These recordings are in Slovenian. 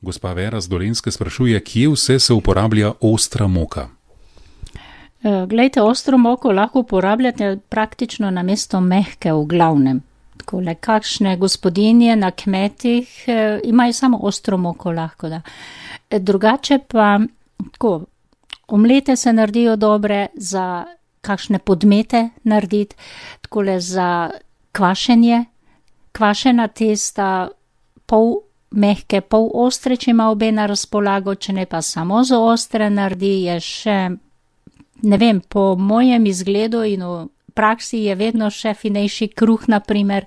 Gospa Vera z Dolenjske sprašuje, kje vse se uporablja ostra moka? Glejte, ostro moko lahko uporabljate praktično namesto mehke v glavnem. Takole, kakšne gospodinje na kmetih imajo samo ostro moko lahko, da. Drugače pa, tako, omlete se naredijo dobre za kakšne podmete narediti, takole za kvašenje, kvašena testa, pol mehke, pol ostre, če ima obe na razpolago, če ne pa samo za ostre naredi, je še, ne vem, po mojem izgledu in v praksi je vedno še finejši kruh, naprimer,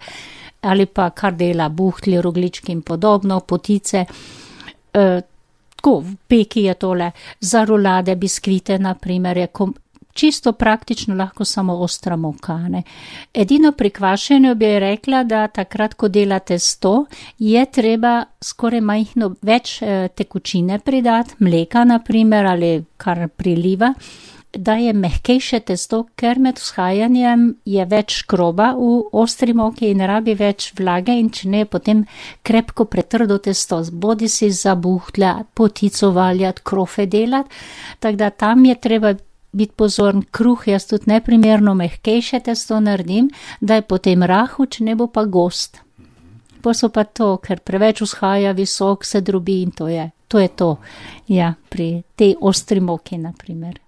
ali pa kar dela buhtli, roglički in podobno, potice. Tako, v peki je tole, za rolade, biskvite, naprimer, je čisto praktično lahko samo ostra moka, ne. Edino pri kvašenju bi rekla, da takrat, ko delate testo, je treba skoraj majhno več tekočine pridati, mleka naprimer, ali kar priliva, da je mehkejše testo, ker med vzhajanjem je več škroba v ostri moki in rabi več vlage in če ne, potem krepko pretrdo testo, bodi si za buhtlja, potico valjati, krofe delati, tako da tam je treba biti pozoren, kruh jaz tudi neprimerno mehkejše testo naredim, da je potem rahel, če ne bo pa gost. Pa so pa to, ker preveč vzhaja, visok se drobi in to je to. Ja, pri tej ostri moki naprimer.